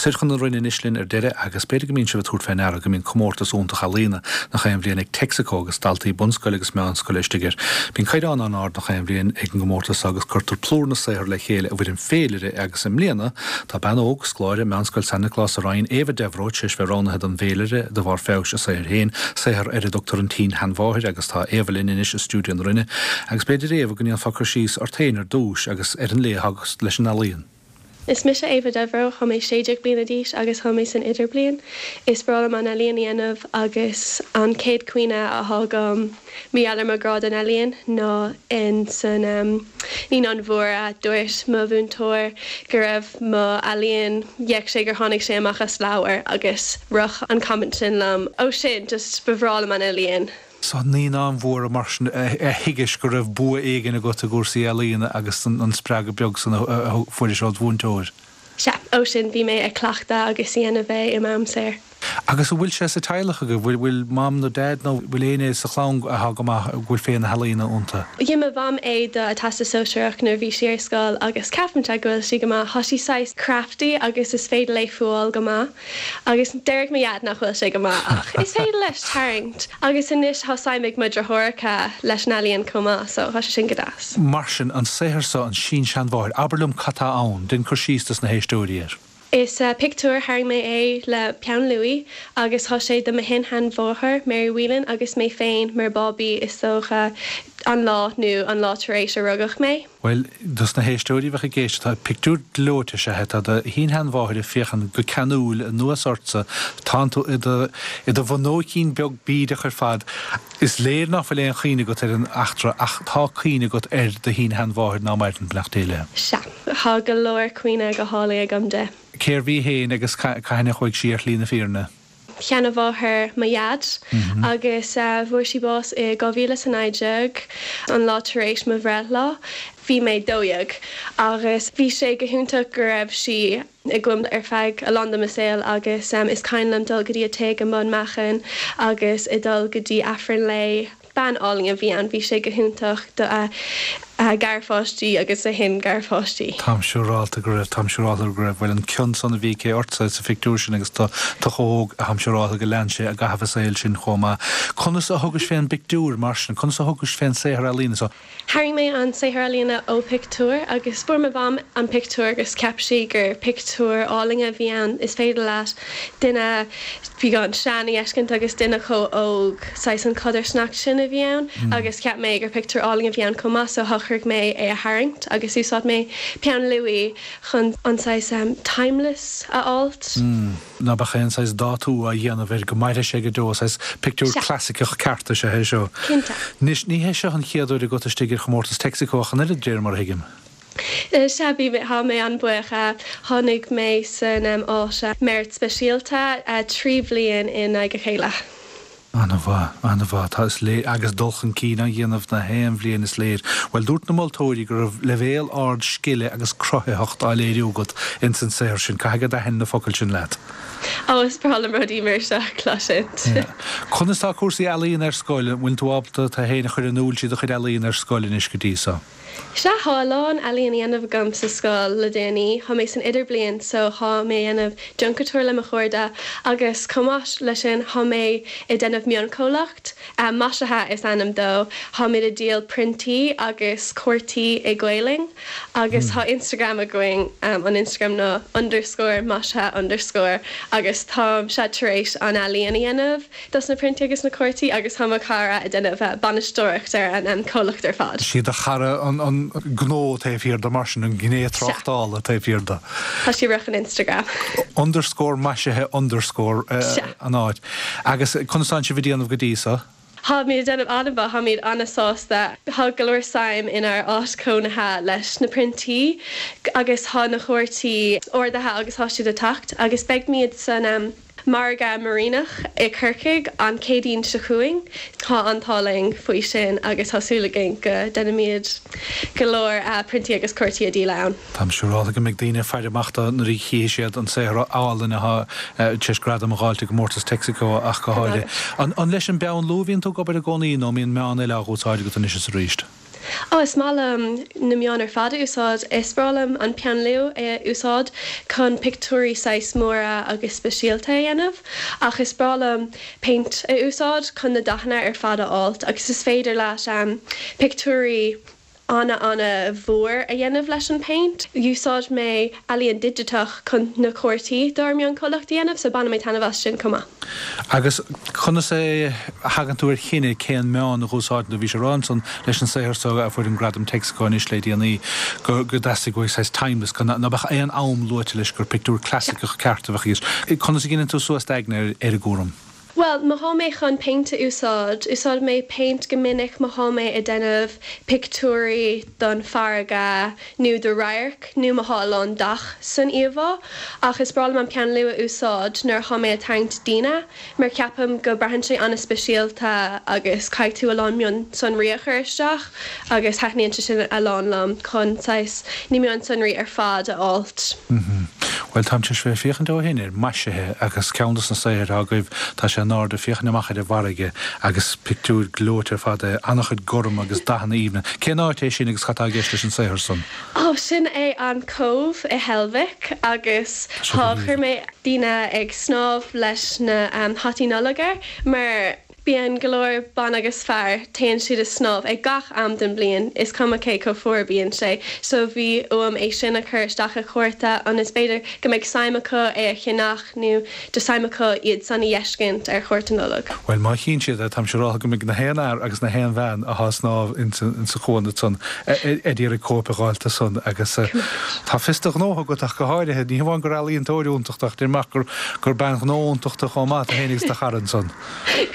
Soir chun na Rinne anois linn ar deireadh agus b'fhéidir go mbíonn sibh ag tabhairt fé ndeara go mbíonn comórtas iontach ealaíona nach aon bhliain ag Texaco agus daltaí bunscoile agus meánscoile istigh air. Bíonn caighdeán an-ard nach aon bhliain ag an gcomórtas seo agus cuirtear plúr na saothar le chéile i bhfoirm féilire agus i mbliana tá bean óg, scoláire, Meánscoil San Nioclás sa Rinn, Éabha Devereux, tar éis bheith roghnaithe don bhféilire de bharr feabhais a saothair féin, saothar ar a dtugtar An tSin-Sheanmháthair agus tá Éabha linn anois i stiúideo na Rinne agus b'fhéidir Éabha go ndéanfá cur síos ort féin ar dtús agus ar an lé atá agat leis an ealaíon. Is mise Éabha Devereux, thá mé 16 bliana d'aois agus thá mé san idirbliain. Is breá liom an ealaíon a dhéanamh agus an chéad cuimhne athá agam mar gheall ar mo ghrá don ealaíon ná in san Naíonáin Mhóra dúirt mo mhúinteoir go raibh mo ealaíon, d'fhéach sé gur tháinig sé amach as leabhar agus rith an comment sin liom ó sin just ba bhreá liom an ealaíon. Sna Naíonáin Mhóra mar sin a thuigis go raibh bua éigin agat i gcúrsaí ealaíona agus an spreagadh beag san a fuairis ód mhúinteoir. Sea, ó sin bhí mé ag cleachtadh agus dhéanamh é i m'am saor. Agus an bhfuil sé sa teaghlach agaibh? Bhfuil, bhfuil mam nó dad nó bhfuil éinne sa chlann athá go maith, go bhfuil féith na healaíona iontu? Dhein mo mham é do a Teastas Sóisearach nuair a bhí sí ar scoil agus ceapaimse go bhfuil sí go maith. Thá sí saghas crafty agus is féidir léi fuáil go maith. Agus déarfadh mo dhaid nach bhfuil sé go maith ach is féidir leis tarraingt. Agus anois thá suim ag mo dheartháireacha leis an ealaíon chomh maith so thá sé sin go deas. Mar sin, an saothar seo, an Sin-Seanmháthair, abair liom cad tá ann, dein cur síos dos na héisteoirí air. Is pictiúr, tharraing mé é le peann luaidhe agus thá sé de mo shin-sheanmháthair, Mary Whelan, agus mé féin mar bábaí is dócha an lá nó an lá tar éis a rugadh mé. Bhuel, dos na héisteoirí a bheadh ag éisteacht, tá pictiúr gleoite is ea é. Tá do shin-sheanmháthair ag féachaint go ceanúil anuas ortsa. Tánn tú i do, i do bhunóicín beag bídeach ar fad. Is léir ná fuil aon chuimhne agat ar an eachtra ach tá cuimhne agat ar do shin-sheanmháthair ná maireann, beannacht Dé léi. Sea. Tá go leor cuimhne go hálainn agam di. Cérbh í féin agus cathain a chuaigh sí ar shlí na fírinne? sheanmháthair mo dhaid agus fuair sí bás i 2019, an lá tar éis mo bhreithlá. Bhí mé 12 agus bhí sé go hiontach go raibh sí agam ar feadh a lán de mo saol agus is cuimhin liom dul go dtí a tigh i mBun Meáchain agus ag dul go dtí Aifreann léi. Bean álainn a bhí ann, bhí sé go hiontach do a garpháistí agus a shin-gharpháistí. Táim siúrálta go raibh, táim siúrálta go raibh. Bhuel, an cion san a bhí aici ortsa sa phictiúr sin agus tú chomh hóg, táim siúrálta go lean sé i gcaitheamh a saoil sin chomh maith. Conas a thugais fén bpictiúr, mar sin? Conas a thugais fén saothar ealaíne so? Tharraing mé an saothar ealaíne ó phictiúr agus fuair mo mham an pictiúr agus cheap sí gur pictiúr álainn a bhí ann. Is féidir leat duine beagán sean a fheiscint agus duine chomh óg, saghas an chodarsnacht sin a bhí ann agus cheap mé gur pictiúr álainn a bhí ann chomh maith so shocraigh mé é a tharraingt agus úsáid mé peann luaidhe chun an saghas timeless a fháilt. ná beadh aon saghas dátú á dhéanamh air, go mairfidh sé go deo, saghas pictiúr clasaiceach ceart is ea é seo. Cinnte. Anois, ní hé seo an chéad uair agat istigh ar chomórtas Texaco ach an oiread, de réir mar a thuigim. Sea, bhí mé, tá mé an-bhuíoch. Tháinig mé san áit Merit Speisialta 3 bhliain i ndiaidh a chéile. An-mhaith, an-mhaith. Tá, is léir, agus dul chun cinn á dhéanamh na haon bhliain, is léir. Bhuel, dúirt na moltóirí go raibh leibhéal ard scile agus cruthaitheacht á léiriú agat ins an saothar sin. Caithfidh go dtaithin na focail sin leat? Ó, is breá liom rudaí mar seo a chloisint. Yeah. Conas tá cúrsaí ealaíon ar scoil? An bhfuil tú ábalta tú féin a chur in iúl trí do chuid ealaíon ar scoil anois go dtí so? Sea, thá a lán ealaíon a dhéanamh agam sa scoil le déanaí. Thá mé san idirbliain so thá mé a dhéanamh junk-couture le mo chairde agus chomh maith le sin thá mé ag déanamh mionchomhlacht, Maisithe is ainm dó. Tháimid ag díol priontaí agus cártaí i Gaelainn agus thá Instagram againn, an Instagram ná underscore maisithe underscore agus táimse tar éis an ealaíon a dhéanamh. dos na priontaí agus na cártaí agus tá mo chara ag déanamh bainisteoireacht ar an comhlacht ar fad. Sí do chara an gnó taobh thiar de mar sin, an ghné tráchtála taobh thiar de. Tá sí ag rith an Instagram. Underscore maisithe underscore an áit. Agus conas tánn sibh ag déanamh go dtí so? Táimid ag déanamh an-mhaith, táimid an-sásta. Tá go leor suim inár áit cónaithe leis na priontaí agus tá na cártaí ordaithe agus tá siad ag teacht agus beidhmid san Margadh Muiríneach i Corcaigh an Chéadaoin seo chugainn. Tá an t-ádh linn faoi sin agus tá súil againn go déanfaimid go leor priontaí agus cártaí a dhíol ann. Táim siúrálta go mbeidh daoine ag faire amach dó nuair a chífidh siad an saothar álainn atá tar éis gradam a dh'fháilt i gcomórtas Texaco ach go háirithe. An leis an bpeann luaidhe a bhíonn tú ag obair i gcónaí nó an mbíonn meán eile á dh'úsáid agat anois is arís? Ó, is maith liom na meáin ar fad a úsáid. Is breá liom an peann luaidhe a úsáid chun pictiúirí saghas móra agus speisialta a dhéanamh. Ach is breá liom péint a úsáid chun na dathanna ar fad a fháilt agus is féidir leat pictiúirí ana ana mhór a dhéanamh leis an péint. Úsáid mé ealaíon digiteach chun na cártaí dár mionchomhlacht a dhéanamh so baineann mé taitneamh as sin chomh maith. Agus conas a thagann tú ar chinneadh cén meán a dh'úsáideann tú? Bhís ag rá ansan leis an saothar so a fuair an gradam Texaco anois le déanaí go dteastaigh uait saghas timeless, go ná beadh aon am luaite leis, gur pictiúr clasaiceach ceart a bheadh i gceist. Conas a gcinneann tú suas d'aigne ar an gcúram? Bhuel, má thá mé chun péint a úsáid, úsáidim mé péint go minic má thá mé ag déanamh pictiúirí don farraige nó do radharc nó má thá a lán dath san íomhá. Ach is breá liom an peann luaidhe a úsáid nuair athá mé ag tarraingt daoine mar ceapaim go braitheann sé an-speisialta agus caithfidh tú a lán mionsonraí a chur isteach agus thaitníonn sé sin a lán liom chun saghas na mionsonraí ar fad a fháilt. Bhuel, táim tar éis bheith ag féachaint ó shin ar maisithe agus ceann dos na saothair atá agaibh, tá sé in airde, féachaint amach ar an bhfarraige agus pictiúr gleoite ar fad é, an-chuid gorm agus dathanna aoibhne. Cén áit é sin agus cad tá i gceist leis an saothar san? Ó, sin é an Cóbh i Heilbhic agus tá, chuir mé daoine ag snámh leis na hataí Nollag air mar Bíonn go leor ban agus fear, téann siad ag snámh ag gach am den bliain, is cuma cé chomh fuar a bíonn sé, so bhí uaim é sin a chur isteach i chárta ionas b'fhéidir go mbeidh suim acu é a cheannach nó just suim acu iad san a dh'fheiscint ar chárta Nollag. Bhuel, má chíonn siad é, táimse ag rá go mbeidh na haon fhear agus na haon bhean athá ag snámh insa chuan ansan ag iarraidh cóip a dh'fháilt de san agus tá fios do ghnótha agat ach go háirithe, ní hamháin gur ealaíontóir iontach tú ach deirim ach gur bean ghnó iontach tú chomh maith, tú féin agus do chara ansan.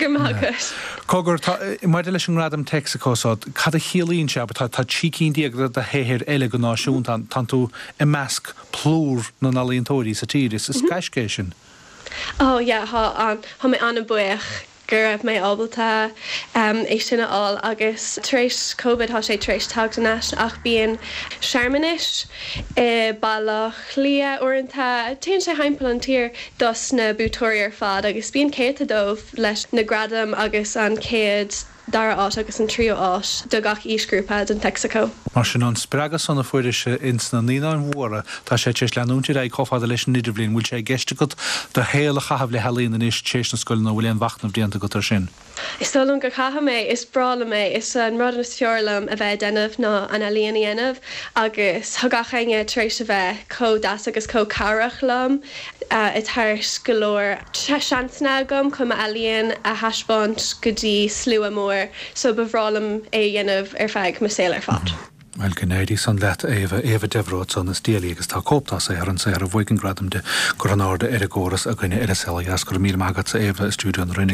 Go raibh maith agat. Cogar, tá, maidir leis an ngradam Texaco so, cad a chiallaíonn sé, abair, tá 13 cinn de do shaothair eile go náisiúnta ann, tánn tú i measc plúr na n-ealaíontóirí sa tír, is gaisce é sin. Oh yeah, tá an, tá mé an-bhuíoch go raibh mé ábalta é sin a fháil agus tar éis Covid tá sé tar éis teacht thar n-ais ach bíonn searmanais i Baile Átha Cliath uaireanta, téann sé thimpeall an tír dos na buaiteoirí ar fad agus bíonn céadta dóibh leis na gradaim agus an chéad, dara áit agus an tríú áit do gach aoisghrúpa don Texaco. Mar sin, an spreagadh san a fuairis ins na Naíonáin Mhóra, tá sé tar éis leanúint ar aghaidh chomh fada leis an Idirbhliain. Bhfuil sé i gceist agat do shaol a chaitheamh le healaíon anois tar éis na scoile nó bhfuil aon mhachnamh déanta agat ar sin? Is dóigh liom go caithfidh mé, is breá liom é, is an rud is fearr liom a bheith ag déanamh ná an ealaíon a dhéanamh agus tá gach éinne tar éis a bheith chomh deas agus chomh cabhrach liom ag tabhairt go leor seansanna agam chun m'ealaíon a thaispeáint go dtí slua mór so ba bhreá liom é a dhéanamh ar feadh mo saol ar fad. Bhuel, go n-éirí san leat, a Éabha. Éabha Devereux ansan as Daly agus tá cóip dá saothar, an saothar a bhuaigh an gradam di, curtha in airde ar an gcóras againne ar An Saol Ó Dheas. Go raibh míle maith agatsa, Éabha, i stiúideo na Rinne.